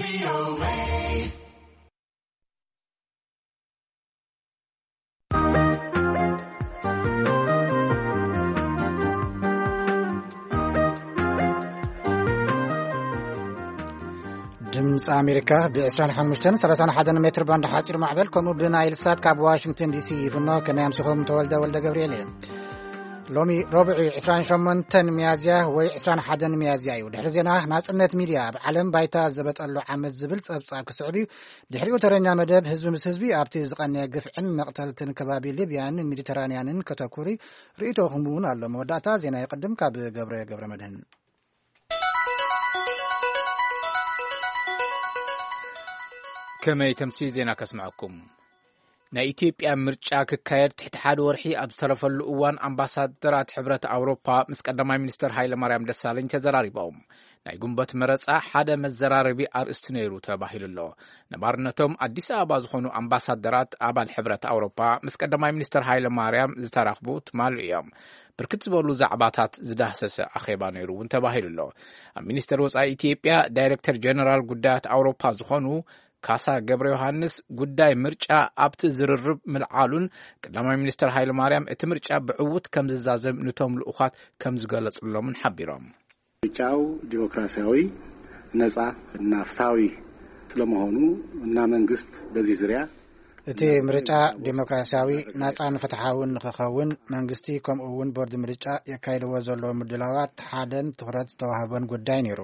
ድምፂ ኣሜሪካ ብ ዕስራን ሓሙሽተን ሰላሳን ሓደን ሜትር ባንድ ሓፂር ማዕበል፣ ከምኡ ብናይል ሳት ካብ ዋሽንግተን ዲሲ ይፍኖ። ከመይ ኣምሲኹም? ተወልደ ወልደ ገብርኤል እየ። ሎሚ ረቡዕ ዕስራን ሸሞንተን ሚያዝያ ወይ ዕስራን ሓደን ሚያዝያ እዩ። ድሕሪ ዜና፣ ናጽነት ሚድያ ኣብ ዓለም ባይታ ዘበጠሉ ዓመት ዝብል ጸብጻብ ክስዕብ እዩ። ድሕሪኡ ተረኛ መደብ ህዝቢ ምስ ህዝቢ ኣብቲ ዝቐነየ ግፍዕን መቕተልትን ከባቢ ሊብያን ሜዲተራንያንን ከተኩር እዩ። ርእይቶኹም እውን ኣሎ። መወዳእታ ዜና ይቕድም ካብ ገብረ ገብረ መድህን። ከመይ ተምሲ ዜና ከስምዐኩም። ናይ ኢትዮጵያ ምርጫ ክካየድ ትሕቲ ሓደ ወርሒ ኣብ ዝተረፈሉ እዋን፣ ኣምባሳደራት ሕብረት ኣውሮፓ ምስ ቀዳማይ ሚኒስትር ሃይለ ማርያም ደሳለኝ ተዘራሪቦም። ናይ ጉንበት መረጻ ሓደ መዘራረቢ ኣርእስቲ ነይሩ ተባሂሉ ኣሎ። ነባርነቶም ኣዲስ ኣበባ ዝኾኑ ኣምባሳደራት ኣባል ሕብረት ኣውሮፓ ምስ ቀዳማይ ሚኒስትር ሃይለ ማርያም ዝተራኽቡ ትማሊ እዮም። ብርክት ዝበሉ ዛዕባታት ዝዳህሰሰ ኣኼባ ነይሩ እውን ተባሂሉ ኣሎ። ኣብ ሚኒስቴር ወጻኢ ኢትዮጵያ ዳይሬክተር ጀነራል ጉዳያት ኣውሮፓ ዝኾኑ ካሳ ገብረ ዮሃንስ፣ ጉዳይ ምርጫ ኣብቲ ዝርርብ ምልዓሉን፣ ቀዳማይ ሚኒስትር ሃይለ ማርያም እቲ ምርጫ ብዕዉት ከም ዝዛዘም ንቶም ልኡኻት ከም ዝገለጹሎምን ሓቢሮም። ምርጫው ዲሞክራሲያዊ፣ ነጻ እና ፍትሃዊ ስለመሆኑ እና መንግስት በዚህ ዙሪያ እቲ ምርጫ ዲሞክራሲያዊ፣ ናጻን ፍትሓውን ንኽኸውን መንግስቲ ከምኡ እውን ቦርድ ምርጫ የካይድዎ ዘለዉ ምድላዋት ሓደን ትኹረት ዝተዋህቦን ጉዳይ ነይሩ።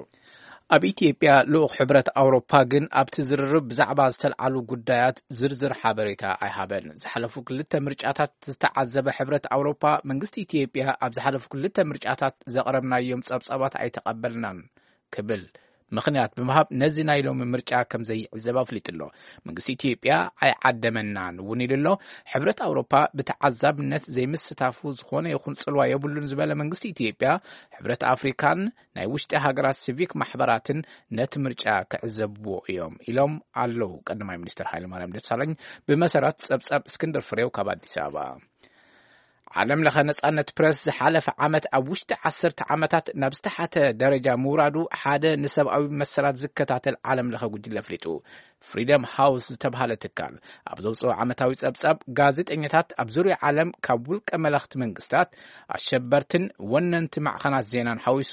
ኣብ ኢትዮጵያ ልኡኽ ሕብረት ኣውሮፓ ግን ኣብቲ ዝርርብ ብዛዕባ ዝተልዓሉ ጉዳያት ዝርዝር ሓበሬታ ኣይሃበን። ዝሓለፉ ክልተ ምርጫታት ዝተዓዘበ ሕብረት ኣውሮፓ፣ መንግስቲ ኢትዮጵያ ኣብ ዝሓለፉ ክልተ ምርጫታት ዘቕረብናዮም ጸብጻባት ኣይተቐበልናን ክብል ምኽንያት ብምሃብ ነዚ ናይ ሎሚ ምርጫ ከም ዘይዕዘብ ኣፍሊጡ ኣሎ። መንግስቲ ኢትዮጵያ ኣይዓደመናን እውን ኢሉ ኣሎ። ሕብረት ኣውሮፓ ብተዓዛብነት ዘይምስታፉ ዝኾነ ይኹን ጽልዋ የብሉን ዝበለ መንግስቲ ኢትዮጵያ፣ ሕብረት ኣፍሪካን ናይ ውሽጢ ሃገራት ሲቪክ ማሕበራትን ነቲ ምርጫ ክዕዘብዎ እዮም ኢሎም ኣለዉ ቀዳማይ ሚኒስትር ሃይለማርያም ደሳለኝ፣ ብመሰረት ጸብጻብ እስክንድር ፍሬው ካብ ኣዲስ ኣበባ። ዓለም ለኸ ነጻነት ፕረስ ዝሓለፈ ዓመት ኣብ ውሽጢ ዓሰርተ ዓመታት ናብ ዝተሓተ ደረጃ ምውራዱ ሓደ ንሰብኣዊ መሰላት ዝከታተል ዓለም ለኸ ጉጅለ ኣፍሊጡ። ፍሪደም ሃውስ ዝተብሃለ ትካል ኣብ ዘውፅኦ ዓመታዊ ጸብጻብ፣ ጋዜጠኛታት ኣብ ዙርያ ዓለም ካብ ውልቀ መለኽቲ መንግስታት፣ ኣሸበርትን ወነንቲ ማዕኸናት ዜናን ሓዊሱ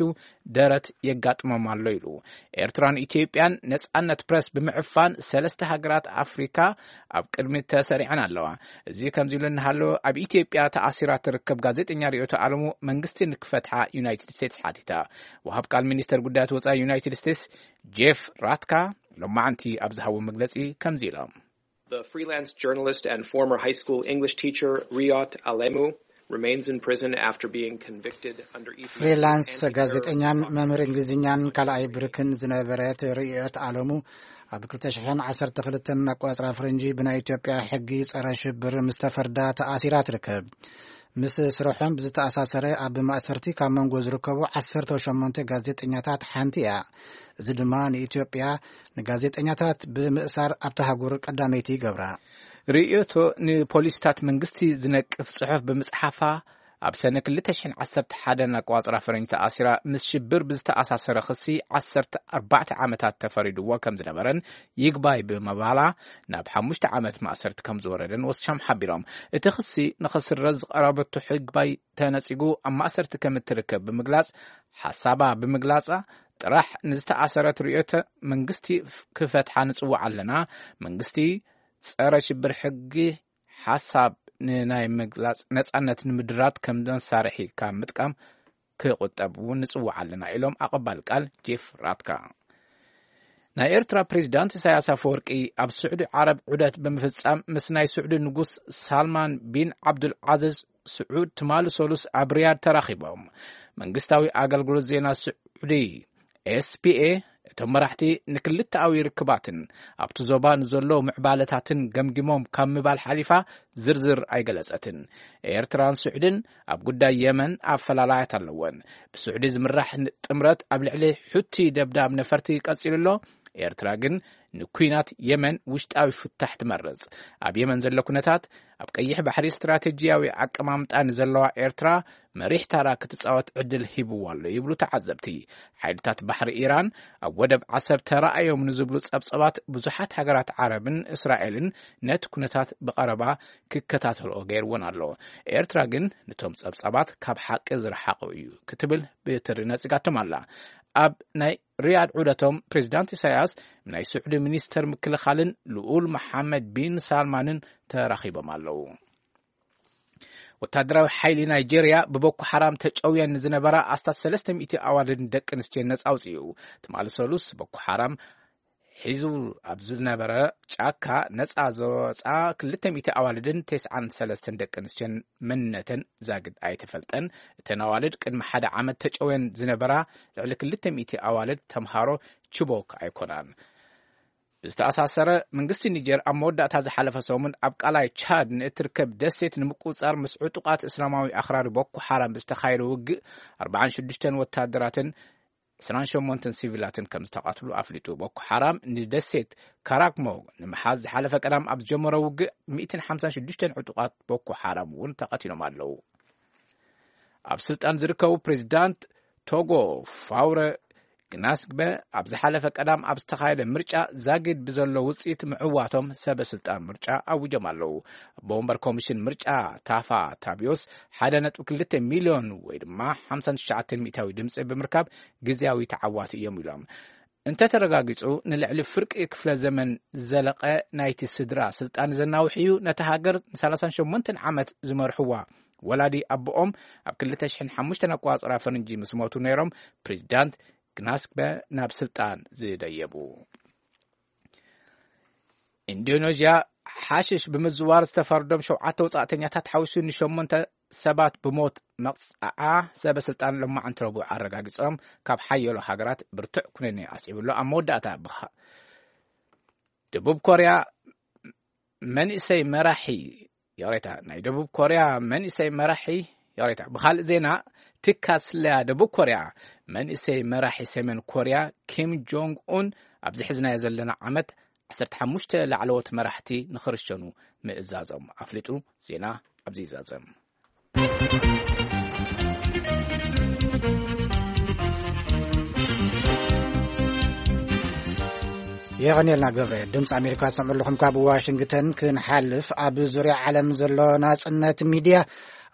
ደረት የጋጥሞም ኣሎ ኢሉ። ኤርትራን ኢትዮጵያን ነጻነት ፕረስ ብምዕፋን ሰለስተ ሃገራት ኣፍሪካ ኣብ ቅድሚት ተሰሪዐን ኣለዋ። እዚ ከምዚ ኢሉ እናሃለወ፣ ኣብ ኢትዮጵያ ተኣሲራ ትርከብ ጋዜጠኛ ርኢቶ ኣለሙ መንግስቲ ንክፈትሓ ዩናይትድ ስቴትስ ሓቲታ። ወሃብ ቃል ሚኒስተር ጉዳያት ወጻኢ ዩናይትድ ስቴትስ ጄፍ ራትካ ሎማዓንቲ ኣብ ዝሃቦ መግለጺ ከምዚ ኢሎም። The freelance journalist and former high school English teacher Riot Alemu remains in prison after being convicted under Ethiopia's ፍሪላንስ anti-terror ጋዜጠኛን መምህር እንግሊዝኛን ካልኣይ ብርክን ዝነበረት ርእዮት ኣለሙ፣ ኣብ ክልተ ሽሕን ዓሰርተ ክልተን ኣቆጻጽራ ፈረንጂ ብናይ ኢትዮጵያ ሕጊ ጸረ ሽብር ምስ ተፈርዳ ተኣሲራ ትርከብ። ምስ ስርሖም ብዝተኣሳሰረ ኣብ ማእሰርቲ ካብ መንጎ ዝርከቡ ዓሰርተ ሸሞንተ ጋዜጠኛታት ሓንቲ እያ። እዚ ድማ ንኢትዮጵያ ንጋዜጠኛታት ብምእሳር ኣብታ ሃገር ቀዳመይቲ ይገብራ። ርእዮቶ ንፖሊስታት መንግስቲ ዝነቅፍ ጽሑፍ ብምጽሓፋ፣ ኣብ ሰነ ክልተ ሽሕን ዓሰርተ ሓደን ኣቋጽራ ፈረንጂ ተኣሲራ፣ ምስ ሽብር ብዝተኣሳሰረ ክሲ ዓሰርተ ኣርባዕተ ዓመታት ተፈሪድዎ ከም ዝነበረን፣ ይግባይ ብምባላ ናብ ሓሙሽተ ዓመት ማእሰርቲ ከም ዝወረደን ወሲኾም ሓቢሮም። እቲ ክሲ ንኽስረዝ ዝቐረበቶ ይግባይ ተነጺጉ ኣብ ማእሰርቲ ከም እትርከብ ብምግላጽ፣ ሓሳባ ብምግላጻ ጥራሕ ንዝተኣሰረት ርእዮተ መንግስቲ ክፈትሓ ንጽውዕ ኣለና። መንግስቲ ጸረ ሽብር ሕጊ ሓሳብ ንናይ ምግላጽ ነጻነት ንምድራት ከም መሳርሒ ካብ ምጥቃም ክቑጠብ እውን ንጽውዕ ኣለና ኢሎም ኣቐባል ቃል ጄፍ ራትካ። ናይ ኤርትራ ፕሬዚዳንት ኢሳያስ ኣፈወርቂ ኣብ ስዑዲ ዓረብ ዑደት ብምፍጻም ምስ ናይ ስዑዲ ንጉስ ሳልማን ቢን ዓብዱል ዓዚዝ ስዑድ ትማሊ ሰሉስ ኣብ ሪያድ ተራኺቦም። መንግስታዊ ኣገልግሎት ዜና ስዑዲ ኤስፒኤ፣ እቶም መራሕቲ ንክልተኣዊ ርክባትን ኣብቲ ዞባ ንዘለዉ ምዕባለታትን ገምጊሞም ካብ ምባል ሓሊፋ ዝርዝር ኣይገለጸትን። ኤርትራን ስዑድን ኣብ ጉዳይ የመን ኣፈላላያት ኣለወን። ብስዑዲ ዝምራሕ ጥምረት ኣብ ልዕሊ ሑቲ ደብዳብ ነፈርቲ ቀጺሉ ኣሎ። ኤርትራ ግን ንኲናት የመን ውሽጣዊ ፍታሕ ትመርጽ። ኣብ የመን ዘሎ ኩነታት፣ ኣብ ቀይሕ ባሕሪ ስትራቴጂያዊ ኣቀማምጣ ንዘለዋ ኤርትራ መሪሕ ታራ ክትጻወት ዕድል ሂብዋ ኣሎ ይብሉ ተዓዘብቲ። ሓይልታት ባሕሪ ኢራን ኣብ ወደብ ዓሰብ ተራእዮም ንዝብሉ ጸብጸባት ብዙሓት ሃገራት ዓረብን እስራኤልን ነቲ ኩነታት ብቐረባ ክከታተልኦ ገይርዎን ኣሎ። ኤርትራ ግን ነቶም ጸብጸባት ካብ ሓቂ ዝረሓቐ እዩ ክትብል ብትሪ ነጺጋቶም ኣላ። ኣብ ናይ ሪያድ ዑደቶም ፕሬዚዳንት ኢሳያስ ናይ ስዑዲ ሚኒስተር ምክልኻልን ልኡል መሓመድ ቢን ሳልማንን ተራኺቦም ኣለዉ። ወታደራዊ ሓይሊ ናይጄርያ ብቦኮ ሓራም ተጨውየን ንዝነበራ ኣስታት ሰለስተ ሚእቲ ኣዋልድን ደቂ ኣንስትዮን ነጻ ኣውጺኡ። ትማሊ ሰሉስ ቦኮ ሓራም ሒዙ ኣብ ዝነበረ ጫካ ነጻ ዘወጻ ክልተ ሚእቲ ኣዋልድን ተስዓን ሰለስተን ደቂ ኣንስትዮን መንነተን ዛግድ ኣይተፈልጠን። እተን ኣዋልድ ቅድሚ ሓደ ዓመት ተጨውየን ዝነበራ ልዕሊ ክልተ ሚእቲ ኣዋልድ ተምሃሮ ችቦክ ኣይኮናን። ብዝተኣሳሰረ፣ መንግስቲ ኒጀር ኣብ መወዳእታ ዝሓለፈ ሰሙን ኣብ ቃላይ ቻድ ንእትርከብ ደሴት ንምቁጽጻር ምስ ዕጡቓት እስላማዊ ኣኽራሪ ቦኮ ሓራም ብዝተኻየደ ውግእ ኣርባዓን ሽዱሽተን ወታደራትን ዕስራን ሸሞንተን ሲቪላትን ከም ዝተቐትሉ ኣፍሊጡ። ቦኮ ሓራም ንደሴት ካራክሞ ንምሓዝ ዝሓለፈ ቀዳም ኣብ ዝጀመሮ ውግእ ሚእትን ሓምሳን ሽዱሽተን ዕጡቓት ቦኮ ሓራም እውን ተቐቲሎም ኣለዉ። ኣብ ስልጣን ዝርከቡ ፕሬዚዳንት ቶጎ ፋውረ ግናስግበ ኣብ ዝሓለፈ ቀዳም ኣብ ዝተኻየደ ምርጫ ዛጊድ ብዘሎ ውፅኢት ምዕዋቶም ሰበ ስልጣን ምርጫ ኣውጆም ኣለዉ። ኣቦ ወንበር ኮሚሽን ምርጫ ታፋ ታቢዮስ ሓደ ነጥቢ ክልተ ሚልዮን ወይ ድማ ሓምሳን ትሽዓተ ሚእታዊ ድምፂ ብምርካብ ግዜያዊ ተዓዋቲ እዮም ኢሎም። እንተተረጋጊጹ፣ ንልዕሊ ፍርቂ ክፍለ ዘመን ዝዘለቐ ናይቲ ስድራ ስልጣን ዘናውሕ እዩ። ነታ ሃገር ንሰላሳን ሸሞንተን ዓመት ዝመርሕዋ ወላዲ ኣቦኦም ኣብ ክልተ ሽሕን ሓሙሽተን ኣቆጻጽራ ፈረንጂ ምስ ሞቱ ነይሮም፣ ፕሬዚዳንት ግናስግበ ናብ ስልጣን ዝደየቡ። ኢንዶኔዥያ፣ ሓሽሽ ብምዝዋር ዝተፈርዶም ሸውዓተ ወጻእተኛታት ሓዊሱ ንሸሞንተ ሰባት ብሞት መቕጻዓ ሰበ ስልጣን ሎማዕንቲ ረቡዕ ኣረጋጊጾም፣ ካብ ሓየሎ ሃገራት ብርቱዕ ኩነኔ ኣስዒቡ ኣሎ። ኣብ መወዳእታ ብኻ-፣ ደቡብ ኮርያ መንእሰይ መራሒ፣ ይቕሬታ፣ ናይ ደቡብ ኮርያ መንእሰይ መራሒ፣ ይቕሬታ፣ ብኻልእ ዜና፣ ትካል ስለያ ደቡብ ኮርያ መንእሰይ መራሒ ሰሜን ኮርያ ኪም ጆንግ ኡን ኣብዚ ሕዝናዮ ዘለና ዓመት ዓሰርተ ሓሙሽተ ላዕለዎት መራሕቲ ንኽርሸኑ ምእዛዞም ኣፍሊጡ። ዜና ኣብዚ ይዛዘም። የቐንየልና ገብረ። ድምፂ ኣሜሪካ ትሰምዑ ኣለኹም ካብ ዋሽንግተን። ክንሓልፍ፣ ኣብ ዙርያ ዓለም ዘሎ ናጽነት ሚድያ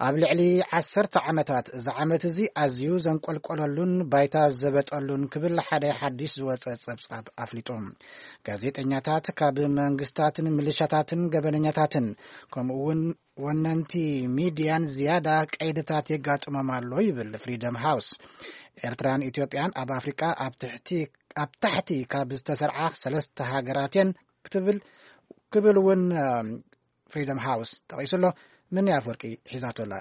ኣብ ልዕሊ ዓሰርተ ዓመታት፣ እዚ ዓመት እዚ ኣዝዩ ዘንቆልቆለሉን ባይታ ዘበጠሉን ክብል ሓደ ሓድሽ ዝወጸ ጸብጻብ ኣፍሊጡ። ጋዜጠኛታት ካብ መንግስታትን ምልሻታትን ገበነኛታትን ከምኡ እውን ወነንቲ ሚድያን ዝያዳ ቀይድታት የጋጥሞም ኣሎ ይብል ፍሪደም ሃውስ። ኤርትራን ኢትዮጵያን ኣብ ኣፍሪቃ ኣብ ትሕቲ፣ ኣብ ታሕቲ ካብ ዝተሰርዓ ሰለስተ ሃገራት እየን ክትብል፣ ክብል እውን፣ እም፣ ፍሪደም ሃውስ ጠቒሱ ኣሎ። ምን ኣፍወርቂ ሒዛቶ ኣላ።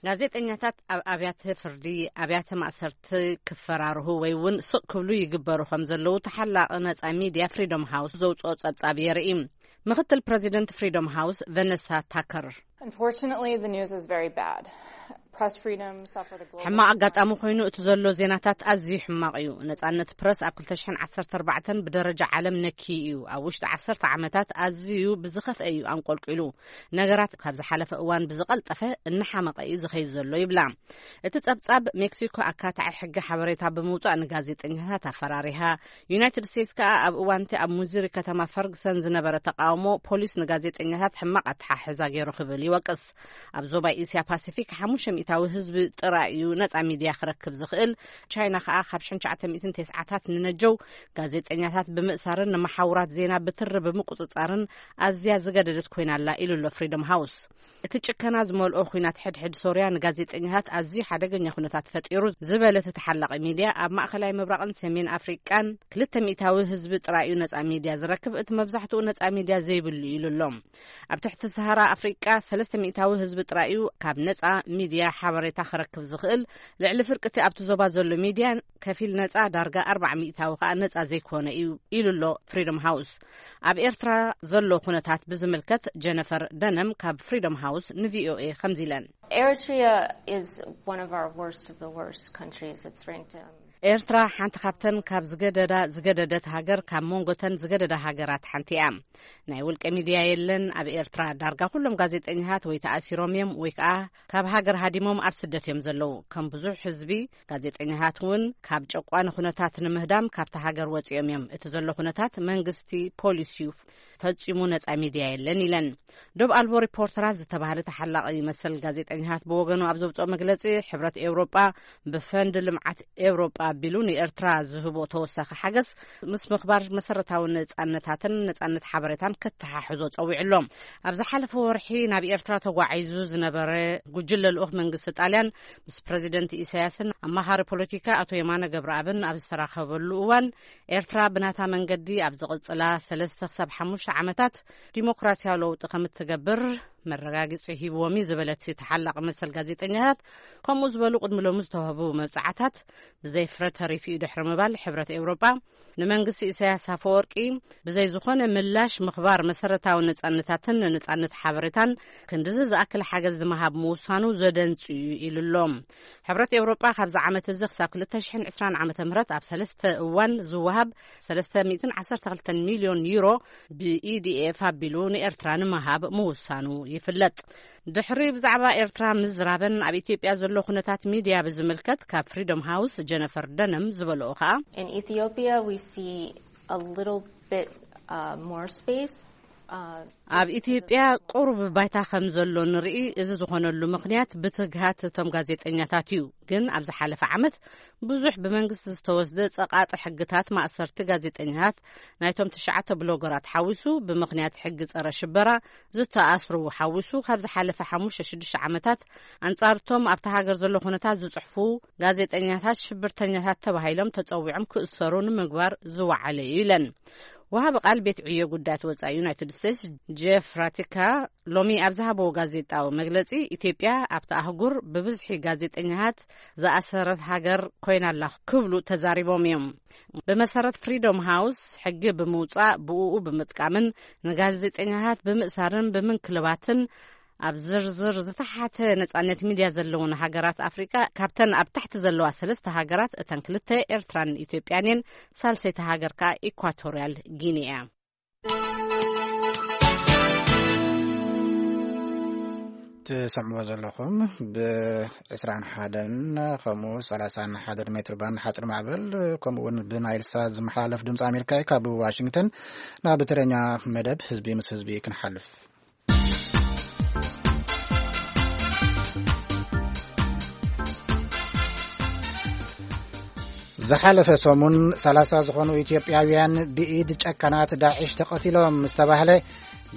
ጋዜጠኛታት ኣብ ኣብያተ ፍርዲ፣ ኣብያተ ማእሰርቲ ክፈራርሁ ወይ እውን ስቕ ክብሉ ይግበሩ ከም ዘለዉ ተሓላቒ ነጻ ሚድያ ፍሪደም ሃውስ ዘውጽኦ ጸብጻብ የርኢ። ምኽትል ፕረዚደንት ፍሪደም ሃውስ ቨነሳ ታከር፣ Unfortunately, the news is very bad. Press freedom suffered a global ሕማቕ ኣጋጣሚ ኮይኑ እቲ ዘሎ ዜናታት ኣዝዩ ሕማቕ እዩ። ነጻነት ፕረስ ኣብ ክልተ ሽሕን ዓሰርተ ኣርባዕተን ብደረጃ ዓለም ነኪዩ እዩ። ኣብ ውሽጢ ዓሰርተ ዓመታት ኣዝዩ ብዝኸፍአ እዩ ኣንቆልቂሉ። ነገራት ካብ ዝሓለፈ እዋን ብዝቐልጠፈ እናሓመቐ እዩ ዝኸይድ ዘሎ ይብላ። እቲ ጸብጻብ፣ ሜክሲኮ ኣካታዒ ሕጊ ሓበሬታ ብምውጻእ ንጋዜጠኛታት ኣፈራሪሃ። ዩናይትድ ስቴትስ ከኣ ኣብ እዋን እቲ ኣብ ሙዙሪ ከተማ ፈርግሰን ዝነበረ ተቃውሞ ፖሊስ ንጋዜጠኛታት ሕማቕ ኣተሓሕዛ ገይሩ ክብል ይወቅስ። ኣብ ዞባ እስያ ፓሲፊክ ሓሙሽተ ሚእታዊ ህዝቢ ጥራይ እዩ ነጻ ሚድያ ክረክብ ዝኽእል። ቻይና ከኣ ካብ ሽሕን ትሽዓተ ሚእትን ተስዓታት ንነጀው ጋዜጠኛታት ብምእሳርን ንመሓውራት ዜና ብትሪ ብምቁጽጻርን ኣዝያ ዝገደደት ኮይና ኣላ ኢሉ ኣሎ ፍሪደም ሃውስ። እቲ ጭከና ዝመልኦ ኲናት ሕድሕድ ሶርያ ንጋዜጠኛታት ኣዝዩ ሓደገኛ ኩነታት ፈጢሩ ዝበለ እቲ ተሓላቒ ሚድያ፣ ኣብ ማእከላይ ምብራቕን ሰሜን ኣፍሪቃን ክልተ ሚእታዊ ህዝቢ ጥራይ እዩ ነጻ ሚድያ ዝረክብ፣ እቲ መብዛሕትኡ ነጻ ሚድያ ዘይብሉ እዩ ኢሉ ኣሎ። ኣብ ትሕቲ ሰሃራ ኣፍሪቃ ሰለስተ ሚእታዊ ህዝቢ ጥራይ እዩ ካብ ነጻ ሚድያ ሓበሬታ ክረክብ ዝኽእል። ልዕሊ ፍርቂ እቲ ኣብቲ ዞባ ዘሎ ሚድያ ከፊል ነጻ፣ ዳርጋ ኣርባዓ ሚእታዊ ከኣ ነጻ ዘይኮነ እዩ ኢሉ ኣሎ ፍሪደም ሃውስ። ኣብ ኤርትራ ዘሎ ኩነታት ብዝምልከት ጀነፈር ደነም ካብ ፍሪደም ሃውስ ንቪኦኤ ከምዚ ኢለን። Eritrea is one of our worst of the worst countries. It's ranked, um, ኤርትራ ሓንቲ ካብተን ካብ ዝገደዳ ዝገደደት ሃገር፣ ካብ መንጎተን ዝገደዳ ሃገራት ሓንቲ እያ። ናይ ውልቀ ሚድያ የለን። ኣብ ኤርትራ ዳርጋ ኩሎም ጋዜጠኛታት ወይ ተኣሲሮም እዮም ወይ ከዓ ካብ ሃገር ሃዲሞም ኣብ ስደት እዮም ዘለዉ። ከም ብዙሕ ህዝቢ፣ ጋዜጠኛታት እውን ካብ ጨቋኒ ኩነታት ንምህዳም ካብቲ ሃገር ወፂኦም እዮም። እቲ ዘሎ ኩነታት መንግስቲ ፖሊሲዩ ፈጺሙ ነጻ ሚድያ የለን ኢለን። ዶብ ኣልቦ ሪፖርተራት ዝተባህለ ተሓላቒ መሰል ጋዜጠኛታት ብወገኑ ኣብ ዘውፅኦ መግለፂ፣ ሕብረት ኤውሮጳ ብፈንድ ልምዓት ኤውሮጳ ኣቢሉ ንኤርትራ ዝህቦ ተወሳኺ ሓገዝ ምስ ምኽባር መሰረታዊ ነጻነታትን ነጻነት ሓበሬታን ከተሓሕዞ ጸዊዑ ኣሎ። ኣብ ዝሓለፈ ወርሒ ናብ ኤርትራ ተጓዒዙ ዝነበረ ጉጅለ ልኡኽ መንግስቲ ጣልያን ምስ ፕረዚደንት ኢሳያስን ኣማኻሪ ፖለቲካ ኣቶ የማነ ገብረኣብን ኣብ ዝተራኸበሉ እዋን፣ ኤርትራ ብናታ መንገዲ ኣብ ዝቕጽላ ሰለስተ ክሳብ ሓሙሽተ ዓመታት ዲሞክራሲያዊ ለውጢ ከም እትገብር መረጋግጺ ሂብዎም እዩ ዝበለት ተሓላቒ መሰል ጋዜጠኛታት፣ ከምኡ ዝበሉ ቅድሚ ሎሚ ዝተዋህቡ መብጽዓታት ብዘይ ፍረ ተሪፉ እዩ ድሕሪ ምባል፣ ሕብረት ኤውሮጳ ንመንግስቲ ኢሳያስ ኣፈወርቂ ብዘይ ዝኾነ ምላሽ ምኽባር መሰረታዊ ነጻነታትን ንነጻነት ሓበሬታን ክንድዚ ዝኣክል ሓገዝ ንምሃብ ምውሳኑ ዘደንጽ እዩ ኢሉ ኣሎ። ሕብረት ኤውሮጳ ካብዚ ዓመት እዚ ክሳብ ክልተ ሽሕን ዕስራን ዓመተ ምህረት ኣብ ሰለስተ እዋን ዝወሃብ ሰለስተ ሚእትን ዓሰርተ ክልተን ሚልዮን ዩሮ ብኢዲኤፍ ኣቢሉ ንኤርትራ ንምሃብ ምውሳኑ ይፍለጥ። ድሕሪ ብዛዕባ ኤርትራ ምዝራበን ኣብ ኢትዮጵያ ዘሎ ኩነታት ሚድያ ብዝምልከት ካብ ፍሪዶም ሃውስ ጀነፈር ደነም ዝበልኦ ከኣ፣ In Ethiopia, we see a little bit uh, more space. Uh, ኣብ ኢትዮጵያ ቁሩብ ባይታ ከም ዘሎ ንርኢ። እዚ ዝኾነሉ ምኽንያት ብትግሃት እቶም ጋዜጠኛታት እዩ። ግን ኣብ ዝሓለፈ ዓመት ብዙሕ ብመንግስቲ ዝተወስደ ጸቓጢ ሕግታት፣ ማእሰርቲ ጋዜጠኛታት፣ ናይቶም ትሽዓተ ብሎገራት ሓዊሱ፣ ብምኽንያት ሕጊ ጸረ ሽበራ ዝተኣስሩ ሓዊሱ፣ ካብ ዝሓለፈ ሓሙሽተ ሽዱሽተ ዓመታት ኣንጻርቶም ኣብቲ ሃገር ዘሎ ኩነታት ዝጽሕፉ ጋዜጠኛታት ሽብርተኛታት ተባሂሎም ተጸዊዖም ክእሰሩ ንምግባር ዝወዓለ እዩ ኢለን። ወሃቢ ቃል ቤት ዕዮ ጉዳያት ወጻኢ ዩናይትድ ስቴትስ ጄፍ ራቲካ ሎሚ ኣብ ዝሃበዎ ጋዜጣዊ መግለጺ፣ ኢትዮጵያ ኣብቲ ኣህጉር ብብዝሒ ጋዜጠኛታት ዝኣሰረት ሃገር ኮይና ኣላ ክብሉ ተዛሪቦም እዮም። ብመሰረት ፍሪዶም ሃውስ፣ ሕጊ ብምውጻእ፣ ብእኡ ብምጥቃምን ንጋዜጠኛታት ብምእሳርን ብምንክልባትን ኣብ ዝርዝር ዝተሓተ ነጻነት ሚድያ ዘለውን ሃገራት ኣፍሪቃ፣ ካብተን ኣብ ታሕቲ ዘለዋ ሰለስተ ሃገራት እተን ክልተ ኤርትራን ኢትዮጵያን እየን። ሳልሰይቲ ሃገር ከኣ ኢኳቶርያል ጊኒ እያ። ትሰምዕዎ ዘለኹም ብ ዕስራን ሓደን ከምኡ ሰላሳን ሓደ ሜትር ባንድ ሓፂር ማዕበል፣ ከምኡ እውን ብናይል ሳት ዝመሓላለፍ ድምፂ ኣሜሪካ እዩ። ካብ ዋሽንግተን ናብ ትግርኛ መደብ ህዝቢ ምስ ህዝቢ ክንሓልፍ። ዝሓለፈ ሰሙን ሰላሳ ዝኾኑ ኢትዮጵያውያን ብኢድ ጨካናት ዳዕሽ ተቐቲሎም ምስ ተባህለ፣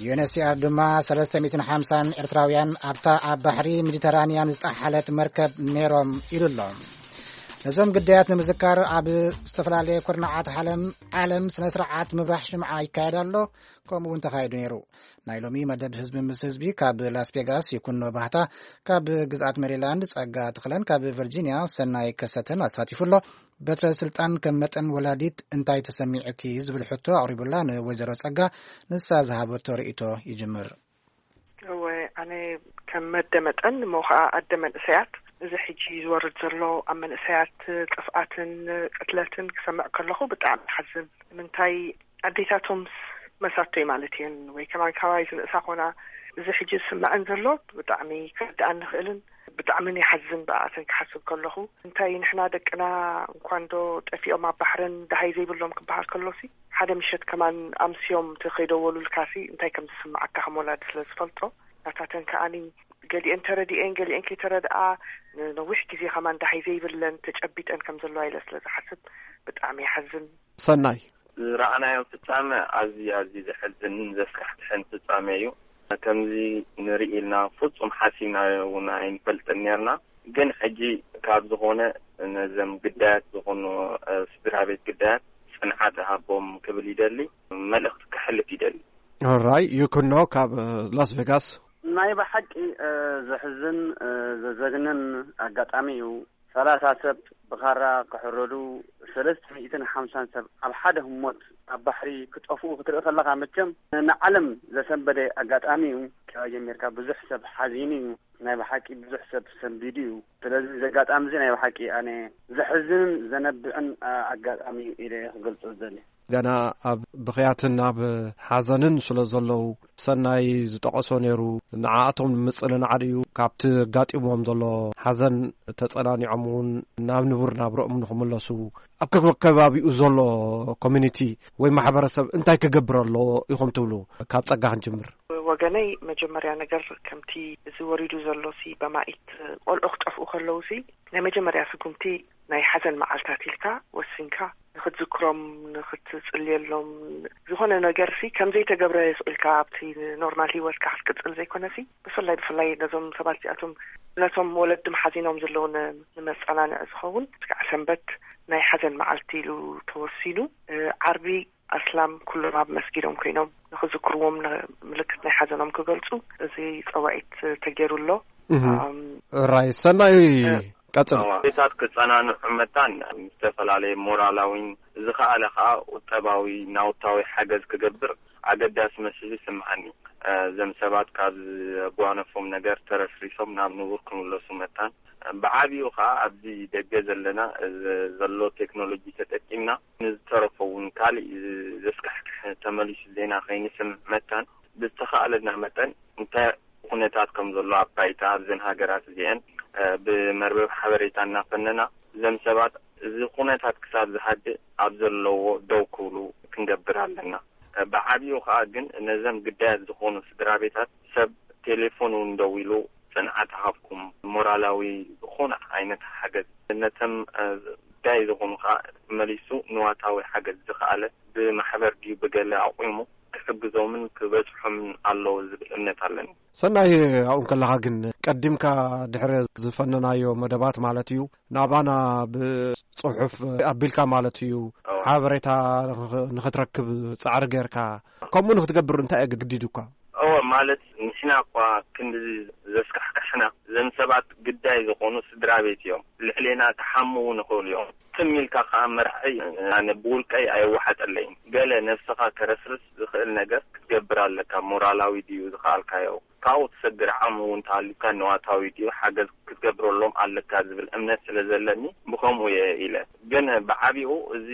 ዩኤንኤችሲኣር ድማ ሰለስተ ሚእትን ሓምሳን ኤርትራውያን ኣብታ ኣብ ባሕሪ ሜዲተራንያን ዝጠሓለት መርከብ ነይሮም ኢሉ ኣሎ። ነዞም ግዳያት ንምዝካር ኣብ ዝተፈላለየ ኩርናዓት ዓለም፣ ዓለም ስነ ስርዓት ምብራህ ሽምዓ ይካየድ ኣሎ፣ ከምኡ እውን ተኻይዱ ነይሩ። ናይ ሎሚ መደብ ህዝቢ ምስ ህዝቢ ካብ ላስ ቬጋስ ይኩኖ ባህታ፣ ካብ ግዝኣት ሜሪላንድ ጸጋ ትኽለን፣ ካብ ቨርጂኒያ ሰናይ ከሰተን ኣሳቲፉ ኣሎ። በትረ ስልጣን ከም መጠን ወላዲት እንታይ ተሰሚዑኪ ዝብል ሕቶ ኣቕሪቡላ ንወይዘሮ ጸጋ፣ ንሳ ዝሃበቶ ርእይቶ ይጅምር። እወ፣ ኣነ ከም መደ መጠን፣ እሞ ኸዓ ኣደ መንእሰያት፣ እዚ ሕጂ ዝወርድ ዘሎ ኣብ መንእሰያት ጥፍኣትን ቅትለትን ክሰምዕ ከለኹ ብጣዕሚ ይሓዝን። ንምንታይ ኣዴታቶምስ መሳቶይ ማለት እየን፣ ወይ ከማን ካባይ ዝንእሳ ኮና፣ እዚ ሕጂ ዝስምዐን ዘሎ ብጣዕሚ ክርድኣኒ ይኽእልን ብጣዕሚ ይሓዝን ብኣተን ክሓስብ ከለኹ። እንታይ ንሕና ደቅና እንኳን ዶ ጠፊኦም ኣብ ባሕርን ደሃይ ዘይብሎም ክበሃል ከሎሲ፣ ሓደ ምሸት ከማን ኣምስዮም ተኸይደወሉልካሲ እንታይ ከም ዝስምዓካ ከም ወላዲ ስለ ዝፈልጦ፣ ናታተን ከኣኒ ገሊአን ተረዲኤን ገሊአን ከይተረድኣ ንነዊሕ ግዜ ከማን ደሃይ ዘይብለን ተጨቢጠን ከም ዘለዋ ኢለ ስለ ዝሓስብ ብጣዕሚ ይሓዝን። ሰናይ። ዝረኣናዮ ፍጻመ ኣዝዩ፣ ኣዝዩ ዘሕዝንን ዘስካሕክሕን ፍጻመ እዩ። ከምዚ ንርኢ ኢልና ፍጹም ሓሲብናዮ እውን ኣይንፈልጥን ኔርና። ግን ሕጂ ካብ ዝኾነ ነዘም ግዳያት ዝኾኑ፣ እ፣ ስድራ ቤት ግዳያት ጽንዓት እሃቦም ክብል ይደሊ፣ መልእኽቲ ከሕልፍ ይደሊ። ኦራይ፣ ይኩኖ ካብ፣ እ፣ ላስ ቬጋስ። ናይ ብሓቂ፣ እ፣ ዘሕዝን፣ እ፣ ዘዘግንን ኣጋጣሚ እዩ። ሰላሳ ሰብ ብኻራ ክሕረዱ፣ ሰለስተ ሚእትን ሓምሳን ሰብ ኣብ ሓደ ህሞት ኣብ ባሕሪ ክጠፍኡ ክትርኢ ከለኻ፣ መቸም ንዓለም ዘሰንበደ ኣጋጣሚ እዩ። ጀሚርካ ብዙሕ ሰብ ሓዚኑ እዩ። ናይ ብሓቂ ብዙሕ ሰብ ሰንቢዱ እዩ። ስለዚ እዚ ኣጋጣሚ እዚ ናይ ብሓቂ ኣነ ዘሕዝንን ዘነብዕን፣ ኣ፣ ኣጋጣሚ እዩ ኢለ እየ ክገልጾ ዝደሊ። ገና ኣብ ብኽያትን ኣብ ሓዘንን ስለ ዘለዉ፣ ሰናይ ዝጠቐሶ ነይሩ። ንዓኣቶም ንምጽንናዕ ድዩ ካብቲ ኣጋጢሞም ዘሎ ሓዘን ተጸናኒዖም እውን ናብ ንቡር ናብርኦም ንኽምለሱ ኣብ ከከባቢኡ ዘሎ ኮሚኒቲ ወይ ማሕበረሰብ እንታይ ክገብር ኣለዎ ኢኹም ትብሉ? ካብ ጸጋ ክንጅምር። ወገነይ፣ መጀመርያ ነገር ከምቲ እዚ ወሪዱ ዘሎ ሲ በማኢት ቆልዑ ክጠፍኡ ከለዉ ሲ ናይ መጀመርያ ስጉምቲ ናይ ሓዘን መዓልታት ኢልካ ወሲንካ ንኽትዝክሮም፣ ንኽትጽልየሎም፣ ዝኾነ ነገር ሲ ከም ዘይተገብረ ስቕ ኢልካ ኣብቲ ኖርማል ህይወትካ ክትቅጽል ዘይኮነ ሲ ብፍላይ ብፍላይ ነዞም ሰባት እዚኣቶም ነቶም ወለድም ሓዚኖም ዘለዉ ን-፣ ንመጸናንዒ ዝኸውን ስጋዕ ሰንበት ናይ ሓዘን መዓልቲ ኢሉ ተወሲኑ። እ፣ ዓርቢ ኣስላም ኩሎም ኣብ መስጊዶም ኮይኖም ንኽዝክርዎም ን-፣ ምልክት ናይ ሓዘኖም ክገልጹ እዚ ጸዋዒት ተገይሩ ኣሎ። እህ። ኣም፣ ራይ ሰናይ እ፣ ቀጽል። ቤታት ክጸናንዑ መታን ዝተፈላለየ ሞራላዊን ዝኸኣለ ኸኣ ቁጠባዊ ናውታዊ ሓገዝ ክገብር ኣገዳሲ መሲሉ ይስምዓኒ። እ፣ እዞም ሰባት ካብ ዘጓነፎም ነገር ተረፍሪሶም ናብ ንቡር ክምለሱ መታን፣ እ፣ ብዓቢኡ ኸኣ ኣብዚ ደገ ዘለና፣ እ፣ ዘሎ ቴክኖሎጂ ተጠቂምና ንዝተረፎ እውን ካልእ ዘስካሕክሕ ተመሊሱ ዜና ከይንስምዕ መታን፣ ብዝተኻእለና መጠን እንታይ ኩነታት ከም ዘሎ ኣብ ባይታ ኣብዘን ሃገራት እዚአን፣ እ፣ ብመርበብ ሓበሬታ እናፈነና እዞም ሰባት እዚ ኩነታት ክሳብ ዝሃድእ ኣብ ዘለዎ ደው ክብሉ ክንገብር ኣለና። እ፣ ብዓቢኡ ኸኣ ግን ነዘም ግዳያት ዝኾኑ ስድራ ቤታት ሰብ ቴሌፎን እውን ደዊሉ ጽንዓት ሃብኩም፣ ሞራላዊ ዝኾነ ዓይነት ሓገዝ ነቶም፣ እ፣ ግዳይ ዝኾኑ ኸኣ መሊሱ ንዋታዊ ሓገዝ ዝኸኣለ ብማሕበር ድዩ ብገለ ኣቑሙ ክሕግዞምን ክበጽሖምን ኣለዎ ዝብል እምነት ኣለኒ። ሰናይ፣ ኣብኡ ከለኻ ግን ቀዲምካ ድሕሪ ዝፈነናዮ መደባት ማለት እዩ፣ ናባና ብጽሑፍ ኣቢልካ ማለት እዩ፣ እዋ። ሓበሬታ ንኽ-፣ ንኽትረክብ ጻዕሪ ጌርካ፣ ከምኡ ንኽትገብር እንታይ እዩ ግዲዱካ? እወ፣ ማለት ንሕና እኳ ክንድዚ ዘስካሕክሕና፣ እዘን ሰባት ግዳይ ዝኾኑ ስድራ ቤት እዮም። ልዕሌና ክሓምዉ ንኽእሉ እዮም። ትም ኢልካ ከኣ መርዓይ ኣነ ብውልቀይ ኣየወሓጠለይን። ገለ ነብስኻ ከረስርስ ዝኽእል ነገር ክትገብር ኣለካ። ሞራላዊ ድዩ ዝኸኣልካዮ? ካብኡ ትሰግር ዓቕሚ እውን ተሃልዩካ ንዋታዊ ድዩ ሓገዝ ክትገብረሎም ኣለካ ዝብል እምነት ስለ ዘለኒ ብኸምኡ እየ ኢለ። ግን ብዓቢኡ እዚ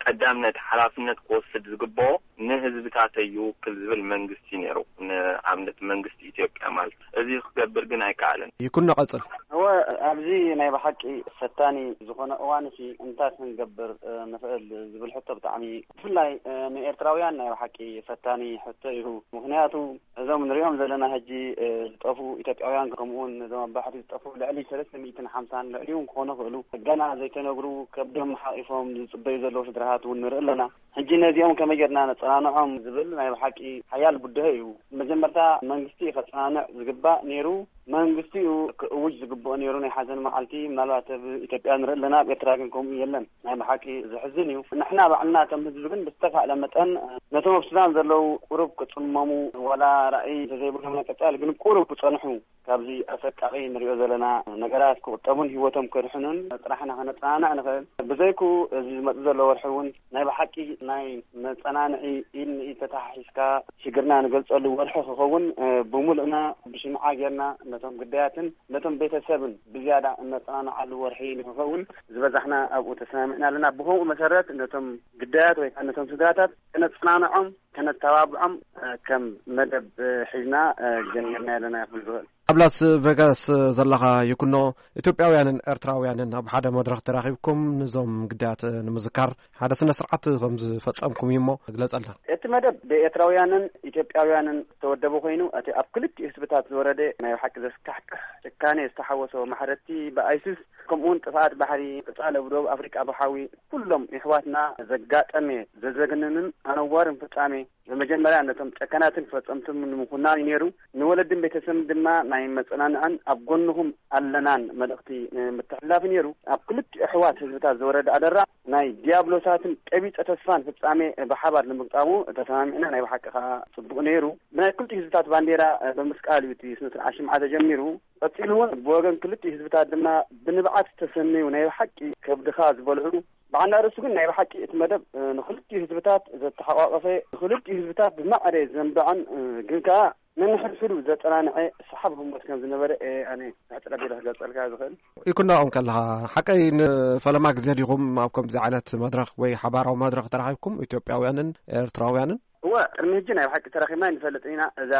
ቀዳምነት ሓላፍነት ክወስድ ዝግብኦ ንህዝብታተይ ይውክል ዝብል መንግስቲ ነይሩ፣ ንኣብነት መንግስቲ ኢትዮጵያ ማለት። እዚ ክገብር ግን ኣይከኣለን። ይኩኖ ቀጽል። እወ፣ ኣብዚ ናይ ብሓቂ ፈታኒ ዝኾነ እዋንሲ እንታይ ክንገብር፣ እ፣ ንኽእል ዝብል ሕቶ ብጣዕሚ ብፍላይ፣ እ፣ ንኤርትራውያን ናይ ብሓቂ ፈታኒ ሕቶ እዩ። ምኽንያቱ እዞም ንሪኦም ዘለና ሕጂ፣ እ፣ ዝጠፍኡ ኢትዮጵያውያን ከምኡውን ነዞም ኣብ ባሕሪ ዝጠፍኡ ልዕሊ ሰለስተ ሚእትን ሓምሳን ልዕሊኡ ክኾኑ ይኽእሉ። ገና ዘይተነግሩ ከብዶም ሓቒፎም ዝጽበዩ ዘለዉ ስድራሃት እውን ንርኢ ኣለና። ሕጂ ነዚኦም ከመይ ጌርና ነጸናንዖም ዝብል ናይ ብሓቂ ሓያል ብድሆ እዩ። መጀመርታ መንግስቲ እዩ ከጸናንዕ ዝግባእ ነይሩ። መንግስቲ እዩ ክእውጅ ዝግብኦ ነይሩ ናይ ሓዘን መዓልቲ። ምናልባት ኣብ ኢትዮጵያ ንርኢ ኣለና፣ ኣብ ኤርትራ ግን ከምኡ የለን። ናይ ብሓቂ ዘሕዝን እዩ። ንሕና ባዕልና ከም ህዝቢ ግን ብዝተኻእለ መጠን ነቶም ኣብ ሱዳን ዘለዉ ቁሩብ ክጽመሙ ዋላ ራእይ እንተዘይብሎም ናይ ቀጻሊ ግን ቁሩብ ክጸንሑ ካብዚ ኣሰቃቒ ንሪኦ ዘለና ነገራት ክቑጠቡን ህይወቶም ከድሕኑን ጥራሕና ከነጸናንዕ ንኽእል። ብዘይክኡ እዚ ዝመጽእ ዘሎ ወርሒ እውን ናይ ብሓቂ ናይ መጸናንዒ ኢድ ንኢድ ተተሓሒዝካ ሽግርና ንገልጸሉ ወርሒ ክኸውን፣ እ፣ ብምሉእና ብሽምዓ ጌርና ነቶም ግዳያትን ነቶም ቤተሰብን ብዝያዳ እነጸናንዓሉ ወርሒ ንክኸውን ዝበዛሕና ኣብኡ ተሰማሚዕና ኣለና። ብኸምኡ መሰረት ነቶም ግዳያት ወይ ከዓ ነቶም ስድራታት ከነጸናንዖም፣ ከነተባብዖም፣ እ፣ ከም መደብ፣ እ፣ ሒዝና፣ እ፣ ጀሚርና ኣለና ክብል ዝኽእል። ኣብ ላስ ቬጋስ ዘለኻ ይኩኖ፣ ኢትዮጵያውያንን ኤርትራውያንን ኣብ ሓደ መድረኽ ተራኺብኩም ንዞም ግዳያት ንምዝካር ሓደ ስነ ስርዓት ከም ዝፈጸምኩም እዩ እሞ ግለጸልና። እቲ መደብ ብኤርትራውያንን ኢትዮጵያውያንን ዝተወደበ ኮይኑ፣ እቲ ኣብ ክልቲኡ ህዝብታት ዝወረደ ናይ ብሓቂ ዘስካሕክሕ ጭካኔ ዝተሓወሶ ማሕረድቲ ብኣይሲስ፣ ከምኡውን ጥፍኣት ባሕሪ፣ ቅጻለ ብደቡብ ኣፍሪቃ ብሓዊ፣ ኩሎም የሕዋትና ዘጋጠመ ዘዘግንንን ኣነዋርን ፍጻሜ፣ ብመጀመርያ ነቶም ጨካናትን ፈጸምትን ንምኹናን እዩ ነይሩ። ንወለድን ቤተሰብን ድማ ናይ መጸናንዕን ኣብ ጎንኹም ኣለናን መልእኽቲ ንምትሕልላፍ እዩ ነይሩ። ኣብ ክልቲኡ ኣሕዋት ህዝብታት ዝወረደ ኣደራዕ ናይ ዲያብሎሳትን ቀቢጸ ተስፋን ፍጻሜ ብሓባር ንምግጣሙ ተሰማሚዕና፣ ናይ ብሓቂ ከኣ ጽቡቕ ነይሩ። ብናይ ክልቲኡ ህዝብታት ባንዴራ ብምስቃል እዩ እቲ ስነ ስርዓት ሽምዓ ተጀሚሩ። ቀጺሉ እውን ብወገን ክልቲኡ ህዝብታት ድማ ብንብዓት ዝተሰነዩ ናይ ብሓቂ ከብድኻ ዝበልዑ። ብዓና ርእሱ ግን ናይ ብሓቂ እቲ መደብ፣ እ፣ ንክልቲኡ ህዝብታት ዘተሓቋቐፈ፣ ንክልቲኡ ህዝብታት ብማዕረ ዘንበዐን፣ እ፣ ግን ከኣ ነንሕድሕዱ ዘጸናንዐ ሰሓብ ህሞት ከም ዝነበረ እየ ኣነ ብሕጽረት ኢለ ክገልጸልካ ዝኽእል። ይኩናኦም ከለኻ፣ ሓቀይ ንፈለማ ግዜ ዲኹም ኣብ ከምዚ ዓይነት መድረኽ ወይ ሓባራዊ መድረኽ ተራኺብኩም፣ ኢትዮጵያውያንን ኤርትራውያንን? እወ፣ ቅድሚ ሕጂ ናይ ብሓቂ ተራኺብና ኣይንፈልጥን ኢና። እዛ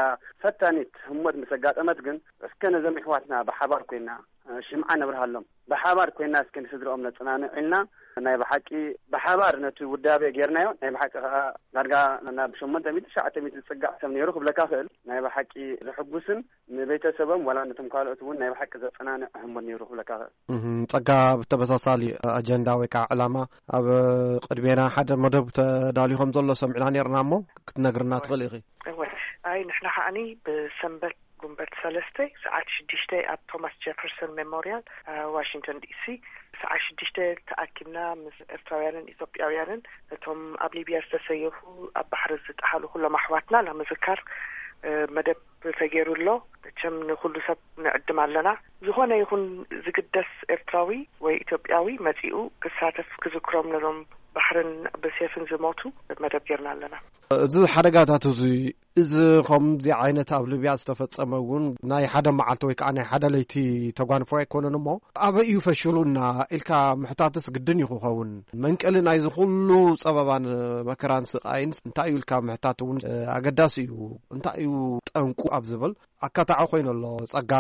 ፈታኒት ህሞት ምስ ኣጋጠመት ግን፣ እስከ ነዞም ኣሕዋትና ብሓባር ኮይና፣ እ፣ ሽምዓ ነብርሃሎም፣ ብሓባር ኮይና እስከ ንስድርኦም ነጽናንዕ ኢልና፣ ናይ ብሓቂ ብሓባር ነቲ ውዳቤ ጌርናዮ። ናይ ብሓቂ ከኣ ዳርጋ ናብ ሸሞንተ ሚእቲ፣ ትሽዓተ ሚእቲ ዝጽጋዕ ሰብ ነይሩ ክብለካ ክእል። ናይ ብሓቂ ዘሐጉስን ንቤተሰቦም ዋላ ነቶም ካልኦት እውን ናይ ብሓቂ ዘጸናንዕ ህሞት ነይሩ ክብለካ ክእል። እህም፣ ጸጋ፣ ብተመሳሳሊ ኣጀንዳ ወይ ከዓ ዕላማ ኣብ ቅድሜና ሓደ መደብ ተዳልዩ ከም ዘሎ ሰሚዕና ነርና እሞ ክትነግርና ትኽእል ኢኺ? እወ፣ ኣይ፣ ንሕና ከዓኒ ብሰንበት ጉንበት ሰለስተ ሰዓት ሽዱሽተ ኣብ ቶማስ ጀፈርሰን ሜሞርያል፣ እ፣ ዋሽንግተን ዲሲ፣ ሰዓት ሽዱሽተ ተኣኪብና ምስ ኤርትራውያንን ኢትዮጵያውያንን፣ እቶም ኣብ ሊብያ ዝተሰየፉ፣ ኣብ ባሕሪ ዝጠሓሉ ኩሎም ኣሕዋትና ናብ ምዝካር፣ እ፣ መደብ ተገይሩ ኣሎ። መቸም ንኩሉ ሰብ ንዕድም ኣለና። ዝኾነ ይኹን ዝግደስ ኤርትራዊ ወይ ኢትዮጵያዊ መጺኡ ክሳተፍ፣ ክዝክሮም ነዞም ባሕርን ብሴፍን ዝሞቱ መደብ ጌርና ኣለና። እዚ ሓደጋታት እዚ፣ እዚ ከምዚ ዓይነት ኣብ ሊብያ ዝተፈጸመ እውን ናይ ሓደ መዓልቲ ወይ ከዓ ናይ ሓደ ለይቲ ተጓንፎ ኣይኮነን እሞ፣ ኣበይ እዩ ፈሽሉና ኢልካ ምሕታትስ ግድን እዩ ክኸውን። መንቀሊ ናይዚ ኩሉ ጸበባን መከራን ስቓይን እንታይ እዩ ኢልካ ምሕታት እውን፣ እ፣ ኣገዳሲ እዩ። እንታይ እዩ ጠንቁ ኣብ ዝብል ኣካታዒ ኮይኑ ኣሎ። ጸጋ፣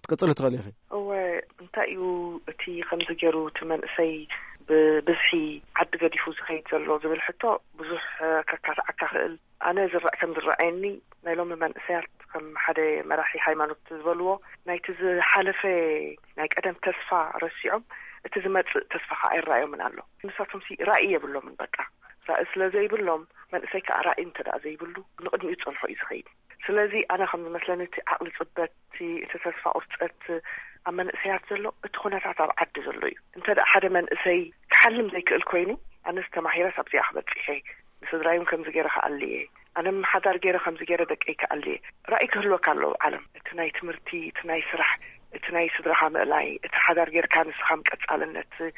ክትቅጽሊ ትኽእል ኢኺ። እወ፣ እንታይ እዩ እቲ ከምዚ ገይሩ እቲ መንእሰይ ብብዝሒ ዓዲ ገዲፉ ዝኸይድ ዘሎ ዝብል ሕቶ ብዙሕ ከካትዓካ ክእል። ኣነ ዝረእ-፣ ከም ዝረኣየኒ ናይ ሎሚ መንእሰያት ከም ሓደ መራሒ ሃይማኖት ዝበልዎ ናይቲ ዝሓለፈ ናይ ቀደም ተስፋ ረሲዖም እቲ ዝመጽእ ተስፋ ከዓ ኣይረኣዮምን ኣሎ። ንሳቶምሲ ራእይ የብሎምን በቃ። ራእይ ስለ ዘይብሎም መንእሰይ ከዓ ራእይ እንተ ደኣ ዘይብሉ ንቕድሚኡ ዝጸንሖ እዩ ዝኸይድ። ስለዚ ኣነ ከም ዝመስለኒ እቲ ዓቕሊ ጽበት፣ እቲ፣ እቲ ተስፋ ቁርጸት ኣብ መንእሰያት ዘሎ እቲ ኩነታት ኣብ ዓዲ ዘሎ እዩ። እንተ ደኣ ሓደ መንእሰይ ክሓልም ዘይክእል ኮይኑ ኣነስ ተማሂረስ ኣብዚኣ ክበጽሕ እየ፣ ንስድራይ እውን ከምዚ ገይረ ክኣሊ እየ፣ ኣነ ሓዳር ገይረ ከምዚ ገይረ ደቀይ ክኣሊ እየ። ራእይ ክህልወካ ኣለዎ ዓለም። እቲ ናይ ትምህርቲ፣ እቲ ናይ ስራሕ፣ እቲ ናይ ስድራኻ ምእላይ፣ እቲ ሓዳር ጌርካ ንስኻ ምቀጻልነት፣ እ፣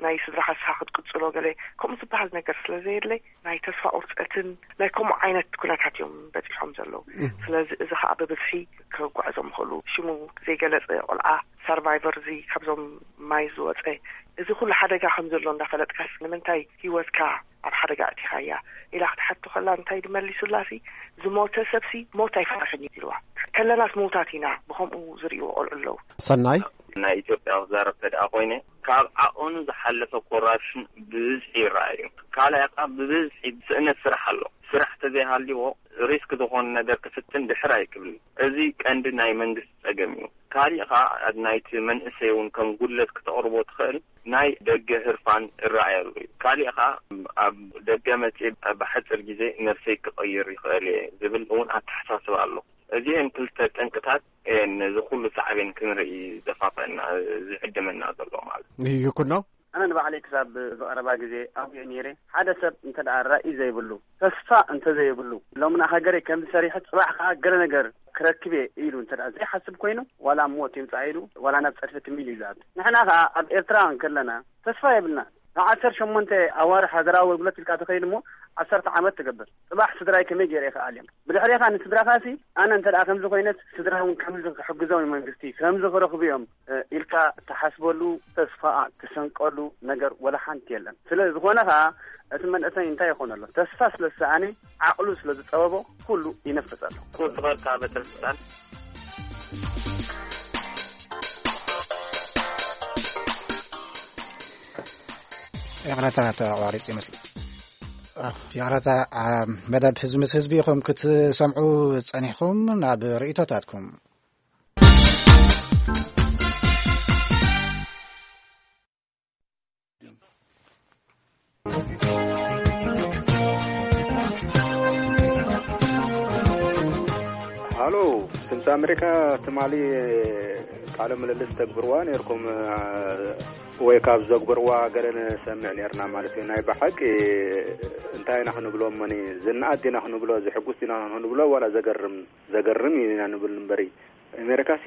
ናይ ስድራኻ ንስኻ ክትቅጽሎ ገለ ከምኡ ዝበሃል ነገር ስለ ዘየድለ ናይ ተስፋ ቁርጸትን ናይ ከምኡ ዓይነት ኩነታት እዮም በጺሖም ዘለዉ። እም። ስለዚ እዚ ኸኣ ብብዝሒ ክጓዕዞም ይኽእሉ። ሽሙ ዘይገለጸ ቆልዓ ሰርቫይቨር እዚ ካብዞም ማይ ዝወጸ እዚ ኩሉ ሓደጋ ከም ዘሎ እንዳፈለጥካስ ንምንታይ ህይወትካ ኣብ ሓደጋ ኣእቲኻያ? ኢላ ክትሓቶ ከላ እንታይ ድመሊሱላሲ ዝሞተ ሰብሲ ሞት ኣይፈርሕን እዩ ኢልዋ። ከለናስ ምዉታት ኢና ብኸምኡ ዝርእይዎ ቆልዑ ኣለዉ። ሰናይ? ናይ ኢትዮጵያ ክዛረብ ተደኣ ኮይነ ካብ ዓቐኑ ዝሓለፈ ኮራፕሽን ብብዝሒ ይረኣዩ። ካልኣይ ከዓ ብብዝሒ ስእነት ስራሕ ኣሎ። ስራሕ ተዘይሃልይዎ ሪስክ ዝኾነ ነገር ክፍትን ድሕር ኣይክብልን። እዚ ቀንዲ ናይ መንግስቲ ጸገም እዩ። ካሊእ ከዓ ኣብ ናይቲ መንእሰይ እውን ከም ጉድለት ክተቕርቦ ትኽእል ናይ ደገ ህርፋን እረኣየሉ እዩ። ካሊእ ከዓ ኣብ ደገ መፅእ ብሓፂር ግዜ ነብሰይ ክቕይር ይኽእል እየ ዝብል እውን ኣተሓሳስባ ኣሎ። እዚአን ክልተ ጠንቅታት እየን ነዚ ኩሉ ሳዕቤን ክንርኢ ዘፋፈአና፣ ዝዕድመና ዘሎ ማለት እዩ። ይኩኖ? ኣነ ንባዕለይ ክሳብ ዝቐረባ ግዜ ኣውግዕ ነይረ። ሓደ ሰብ እንተ ደኣ ራእይ ዘይብሉ፣ ተስፋ እንተ ዘይብሉ፣ ሎምና ሃገረይ ከምዚ ሰሪሐ ጽባሕ ከኣ ገለ ነገር ክረክብ እየ ኢሉ እንተ ደኣ ዘይሓስብ ኮይኑ፣ ዋላ ሞት ይምጻእ ኢሉ፣ ዋላ ናብ ጸድፊ ትም ኢሉ እዩ ዝኣቱ። ንሕና ከኣ ኣብ ኤርትራ እንከለና ተስፋ የብልና። ንዓሰርተ ሸሞንተ ኣዋርሕ ሃገራዊ ኣገልግሎት ኢልካ ተኸይድ እሞ ዓሰርተ ዓመት ትገብር። ጽባሕ ስድራይ ከመይ ገይረ ይኽኣል እዮም? ብድሕሬኻ ንስድራኻሲ ኣነ እንተ ደኣ ከምዚ ኮይነስ ስድራ እውን ከምዚ ክሕግዞም እዩ መንግስቲ፣ ከምዚ ክረኽቡ እዮም፣ እ፣ ኢልካ ትሓስበሉ፣ ተስፋ ትሰንቀሉ ነገር ወላ ሓንቲ የለን። ስለ ዝኾነ ኸኣ እቲ መንእሰይ እንታይ ይኾን ኣሎ? ተስፋ ስለ ዝሰኣነ፣ ዓቕሉ ስለ ዝጸበቦ ኩሉ ይነፍስ ኣሎ። ክበርካ በትረ ስልጣን። ይቕረታ ተቋሪጹ ይመስል። ኣፍ፣ ይቕረታ፣ ዓ-፣ መደብ ህዝቢ ምስ ህዝቢ ኢኹም ክትሰምዑ ጸኒሕኩም። ናብ ርእይቶታትኩም። ሃሎ፣ ድምፂ ኣሜሪካ ትማሊ ቃለ ምልልስ ተግብርዋ ነይርኩም፣ አ፣ ወይ ካብ ዘግበርዋ ገለ ንሰምዕ ነይርና ማለት እዩ። ናይ ብሓቂ እንታይ ኢና ክንብሎ እሞኒ፣ ዝነኣድ ዲና ክንብሎ፣ ዝሕጉስ ዲና ክንብሎ፣ ዋላ ዘገርም፣ ዘገርም ኢና ንብል እምበሪ፣ ኣሜሪካሲ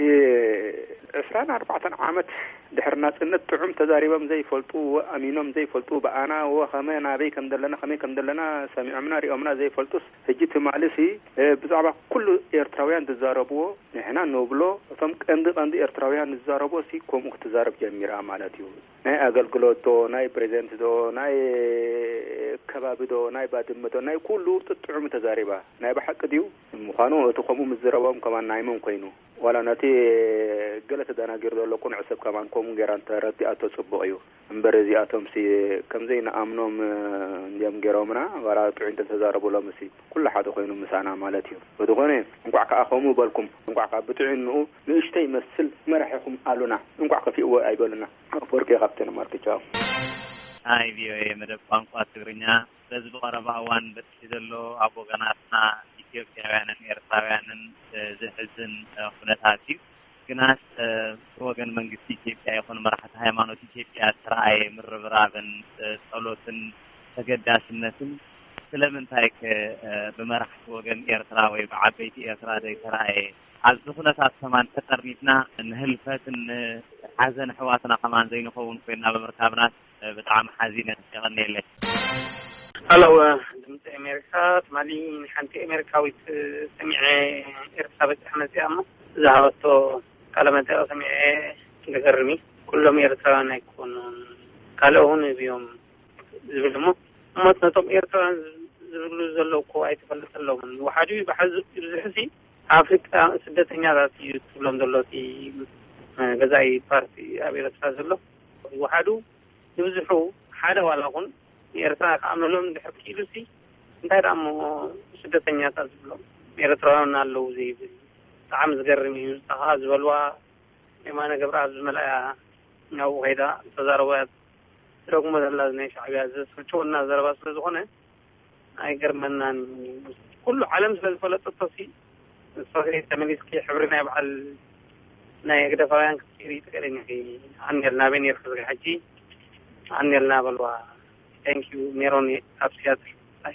ዕስራን ኣርባዕተን ዓመት ድሕሪ ናጽነት ጥዑም ተዛሪቦም ዘይፈልጡ፣ ኣሚኖም ዘይፈልጡ፣ ብኣና ወ ከመ ናበይ ከም ዘለና፣ ከመይ ከም ዘለና ሰሚዖምና ሪኦምና ዘይፈልጡስ፣ ሕጂ ትማልሲ፣ እ፣ ብዛዕባ ኩሉ ኤርትራውያን ዝዛረብዎ ንሕና ንብሎ፣ እቶም ቀንዲ ቀንዲ ኤርትራውያን ዝዛረብዎ ሲ ከምኡ ክትዛረብ ጀሚራ ማለት እዩ። ናይ ኣገልግሎት ዶ፣ ናይ ፕሬዘንት ዶ፣ ናይ ከባቢ ዶ፣ ናይ ባድመ ዶ፣ ናይ ኩሉ ጥጥዑም ተዛሪባ። ናይ ብሓቂ ድዩ? ምዃኑ እቲ ከምኡ ምዝረቦም ከማን ናይ መን ኮይኑ? ዋላ ነቲ ገለ ተደናጊሩ ዘሎ ቅኑዕ ሰብ ከማን ከምኡ ጌራ እንተረዲኣቶ ጽቡቕ እዩ። እምበር እዚኣቶምሲ ከም ዘይንኣምኖም እንድዮም ጌሮምና። ዋላ ጥዑይ እንተተዛረቡ ሎምሲ ኩሉ ሓደ ኮይኑ ምሳና ማለት እዩ። ብዝኾነ እንቋዕ ከኣ ከምኡ በልኩም። እንቋዕ ከኣ ብጥዑይንኡ ንእሽተይ ይመስል መራሒኹም ኣሉና። እንቋዕ ከፊእዎ ኣይበሉና። ኣፈወርቂ ካብተን ማርክቻው። ኣይ ቪኦኤ መደብ ቋንቋ ትግርኛ፣ በዚ ብቐረባ እዋን በጺሑ ዘሎ ኣብ ወገናትና ኢትዮጵያውያንን ኤርትራውያንን፣ እ፣ ዘሕዝን፣ እ፣ ኩነታት እዩ። ግናስ፣ እ፣ ብወገን መንግስቲ ኢትዮጵያ ይኹን መራሕቲ ሃይማኖት ኢትዮጵያ ዝተረኣየ ምርብራብን፣ እ፣ ጸሎትን ተገዳስነትን ስለምንታይ ከ፣ እ፣ ብመራሕቲ ወገን ኤርትራ ወይ ብዓበይቲ ኤርትራ ዘይተረኣየ? ኣብዚ ኩነታት ከማን ተጠርኒፍና ንህልፈትን ንሓዘን ኣሕዋትና ከማን ዘይንኸውን ኮይንና ብምርካብናስ ብጣዕሚ ሓዚነ። የቐንየለይ። ሀሎ፣ ድምፂ ኣሜሪካ። ትማሊ ንሓንቲ ኣሜሪካዊት ሰሚዐ፣ ኤርትራ በፂሐ መፂኣ እሞ ዝሃበቶ ቃለ መጠይቕ ሰሚዐ። ዝገርም እዩ። ኩሎም ኤርትራውያን ኣይኮኑን፣ ካልእ እውን እዮም ዝብል እሞ፣ እሞት ነቶም ኤርትራውያን ዝብሉ ዘለዉ እኮ ኣይተፈለጠሎምን። ይወሓዱ ይብሓዙ፣ ይብዝሑሲ ኣፍሪቃ ስደተኛታት እዩ ትብሎም ዘሎ እቲ ገዛኢ ፓርቲ ኣብ ኤርትራ ዘሎ። ይወሓዱ ይብዝሑ፣ ሓደ ዋላ ኹን ንኤርትራ ክኣምነሎም እንድሕር ክኢሉሲ፣ እንታይ ደኣ እሞ ስደተኛታት ዝብሎም ኤርትራውያን ኣለዉ ዘይብል? ብጣዕሚ ዝገርም እዩ። ንሳ ኸኣ ዝበልዋ የማነ ገብረኣብ ዝመልኣያ ናብኡ ከይዳ ተዛረቦ እያ ትደግሞ ዘላ፣ ናይ ሻዕብያ ዘስልችወና ዘረባ ስለ ዝኾነ ኣይገርመናን። ኩሉ ዓለም ስለ ዝፈለጠቶ ሲ ንሶሲ ተመሊስኪ ሕብሪ ናይ በዓል ናይ ህግደፋውያን ክትቀይሪ ትኽእሊ ኢኺ። ኣንየልና ኣበይ ነይርኪ ዝጋ ሕጂ? ኣንየልና በልዋ። Thank you ሜሮን ኣብ ሲያትል። ባይ።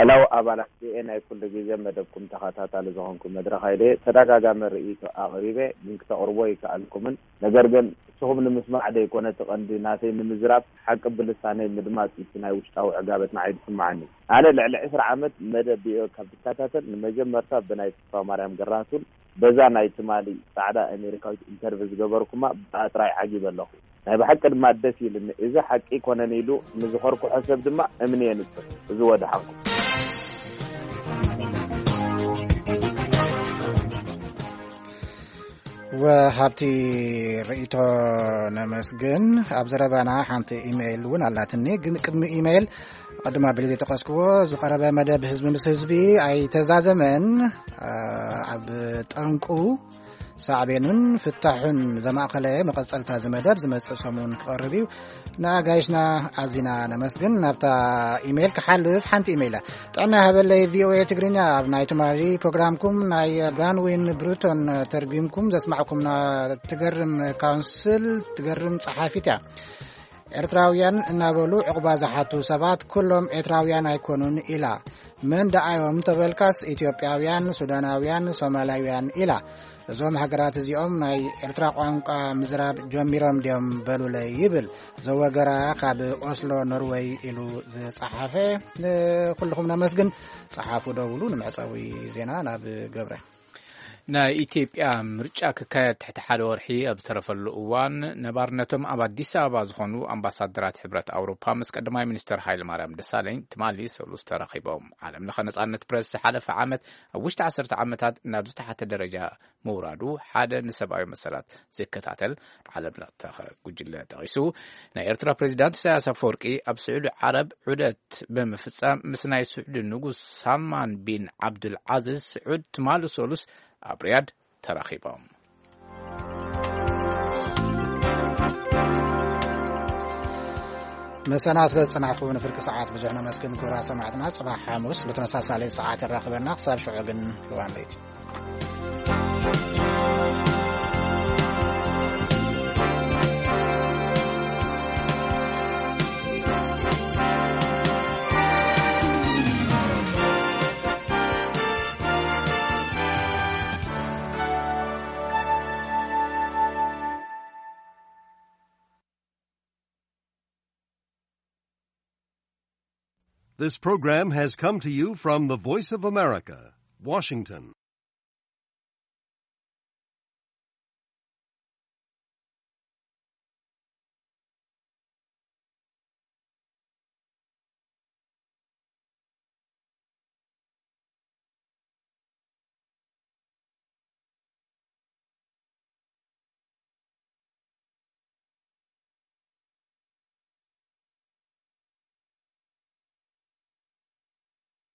ዕላው ኣባላት ቪኦኤ ናይ ኩሉ ግዜ መደብኩም ተኸታታሊ ዝኾንኩ መድረኽ ኢለ ተደጋጋሚ ርእይቶ ኣቕሪበ፣ ግን ክተቕርቦ ኣይከኣልኩምን። ነገር ግን ንስኹም ንምስማዕ ደይኮነ እቲ ቀንዲ ናተይ ንምዝራብ ሓቂ ብልሳነይ ምድማፅ እቲ ናይ ውሽጣዊ ዕጋበት ንዓይ ዝስምዓኒ። ኣነ ልዕሊ ዕስራ ዓመት መደብ ቪኦኤ ካብ ዝከታተል ንመጀመርታ ብናይ ተስፋማርያም ገራህቱን በዛ ናይ ትማሊ ጻዕዳ ኣሜሪካዊት ኢንተርቪ ዝገበርኩማ ብኣ ጥራይ ዓጊበ ኣለኹ። ናይ ብሓቂ ድማ ደስ ኢልኒ። እዚ ሓቂ ኣይኮነን ኢሉ ንዝኸርኩሖ ሰብ ድማ እምኒ የንጽር። እዚ ወደሓንኩም። ወሃብቲ ርእይቶ ነመስግን። ኣብ ዘረባና ሓንቲ ኢሜይል እውን ኣላትኒ፣ ግን ቅድሚ ኢሜይል ቅድም ኣቢለ ዘይጠቐስክዎ ዝቐረበ መደብ ህዝቢ ምስ ህዝቢ ኣይተዛዘመን። ኣብ ጠንቁ ሳዕቤኑን ፍታሑን ዘማእኸለ መቐጸልታ እዚ መደብ ዝመጽእ ሰሙን ክቐርብ እዩ። ንኣጋይሽና ኣዚና ነመስግን። ናብታ ኢሜይል ክሓልፍ ሓንቲ ኢሜይል ጥዕና ሃበለይ ቪኦኤ ትግርኛ ኣብ ናይ ትማሊ ፕሮግራምኩም ናይ ብራንዊን ብሩቶን ተርጒምኩም ዘስማዕኩምና ትገርም ካውንስል ትገርም ጸሓፊት እያ። ኤርትራውያን እናበሉ ዕቑባ ዝሓቱ ሰባት ኩሎም ኤርትራውያን ኣይኮኑን ኢላ። መን ደኣዮም ተበልካስ ኢትዮጵያውያን፣ ሱዳናውያን፣ ሶማላውያን ኢላ። እዞም ሃገራት እዚኦም ናይ ኤርትራ ቋንቋ ምዝራብ ጀሚሮም ድዮም በሉለይ ይብል ዘወገራ ካብ ኦስሎ ኖርወይ ኢሉ ዝጸሓፈ። ንኩልኹም ነመስግን። ጸሓፉ ደውሉ። ንመዕጸዊ ዜና ናብ ገብረ። ናይ ኢትዮጵያ ምርጫ ክካየድ ትሕቲ ሓደ ወርሒ ኣብ ዝተረፈሉ እዋን ነባርነቶም ኣብ ኣዲስ ኣበባ ዝኾኑ ኣምባሳደራት ሕብረት ኣውሮፓ ምስ ቀዳማይ ሚኒስትር ሃይለማርያም ደሳለኝ ትማሊ ሰሉስ ተራኺቦም። ዓለም ለኸ ነጻነት ፕረስ ዝሓለፈ ዓመት ኣብ ውሽጢ ዓሰርተ ዓመታት ናብ ዝተሓተ ደረጃ ምውራዱ ሓደ ንሰብኣዊ መሰላት ዝከታተል ዓለም ለኸ ጉጅለ ጠቒሱ። ናይ ኤርትራ ፕሬዚዳንት ኢሳያስ ኣፈወርቂ ኣብ ስዑዲ ዓረብ ዑደት ብምፍጻም ምስ ናይ ስዑዲ ንጉስ ሳልማን ቢን ዓብዱል ዓዚዝ ስዑድ ትማሊ ሰሉስ ኣብ ሪያድ ተራኺቦም። ምሳና ስለ ዝጸናሕኩም ንፍርቂ ሰዓት ብዙሕ ነመስግን። ክቡራት ሰማዕትና፣ ጽባሕ ሓሙስ ብተመሳሳሊ ሰዓት የራኽበና። ክሳብ ሽዑ ግን ርዋን ለይቲ። This program has come to you from the Voice of America, Washington.